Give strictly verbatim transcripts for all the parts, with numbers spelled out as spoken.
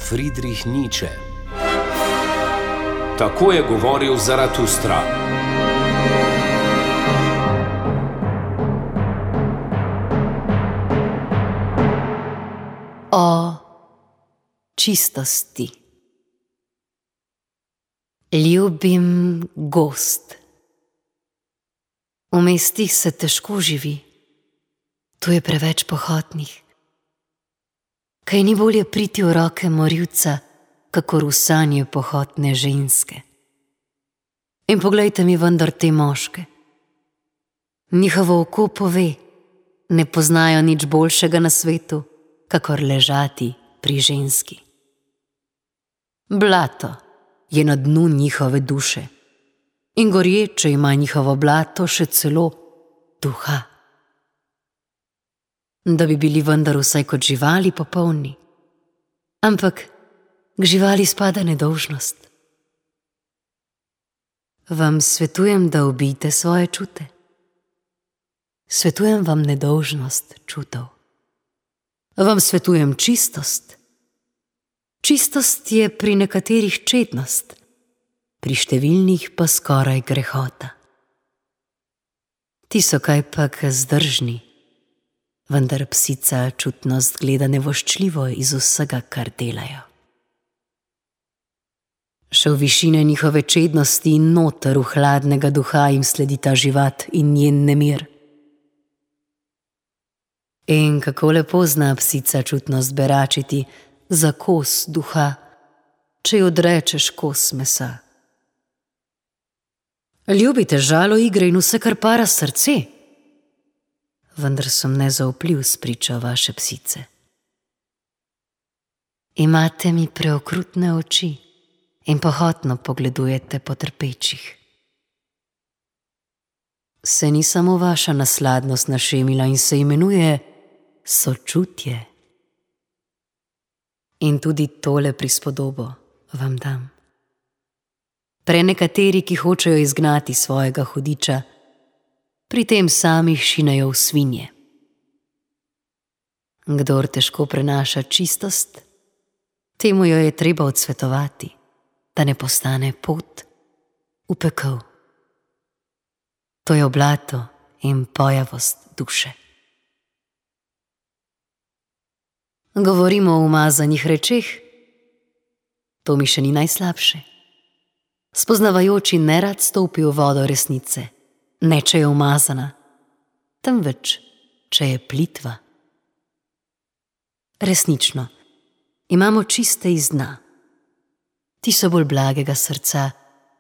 Friedrich Nietzsche. Tako je govoril Zaratustra. O čistosti. Ljubim gozd. V mestih se težko živi, tu je preveč pohotnih. Kaj ni bolje priti v roke morilca, kakor v sanje pohotne ženske. In poglejte mi vendar te moške. Njihovo oko pove, ne poznajo nič boljšega na svetu, kakor ležati pri ženski. Blato je na dnu njihove duše in gorječe ima njihovo blato še celo duha. Da bi bili vendar vsaj kot živali popolni, ampak k živali spada nedolžnost. Vam svetujem, da ubijte svoje čute. Svetujem vam nedolžnost čutov. Vam svetujem čistost. Čistost je pri nekaterih čednost, pri številnih pa skoraj grehota. Ti so kajpak zdržni, vendar psica čutnost gleda nevoščljivo iz vsega, kar delajo. Še v višine njihove čednosti in noter v hladnega duha jim sledi ta živat in njen nemir. In kako lepo zna psica čutnost beračiti za kos duha, če ji odrečeš kos mesa. Ljubite žalo igre in vse, kar para srce, vendar sem nezaupljiv spričo vaše psice. Imate mi preokrutne oči in pohotno pogledujete po trpečih. Se ni samo vaša nasladnost našemila in se imenuje sočutje. In tudi tole prispodobo vam dam. Prenekateri, ki hočejo izgnati svojega hudiča, pri tem samih šinejo v svinje. Kdor težko prenaša čistost, temu jo je treba odsvetovati, da ne postane pot v pekel. To je blato in pojavost duše. Govorimo o umazanih rečeh, to mi še ni najslabše. Spoznavajoči nerad stopi v vodo resnice, ne če je umazana, temveč če je plitva. Resnično, imamo čiste iz dna. Ti so bolj blagega srca,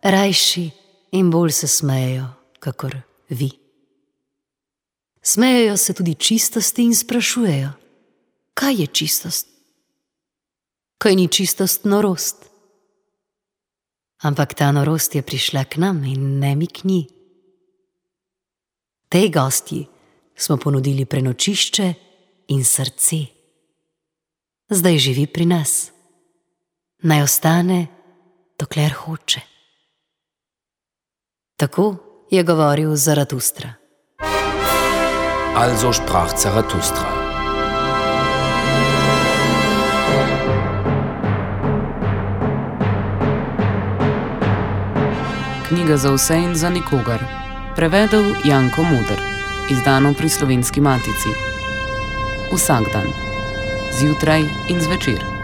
rajši in bolj se smejejo, kakor vi. Smejejo se tudi čistosti in sprašujejo, kaj je čistost? Kaj ni čistost norost? Ampak ta norost je prišla k nam in ne mi k njej. Tej gostji smo ponudili prenočišče in srce. Zdaj živi pri nas. Naj ostane, dokler hoče. Tako je govoril Zaratustra. Also sprach Zaratustra. Knjiga za vse in za nikogar. Prevedel Janko Muder. Izdano pri Slovenski matici. Vsak dan. Zjutraj in zvečer.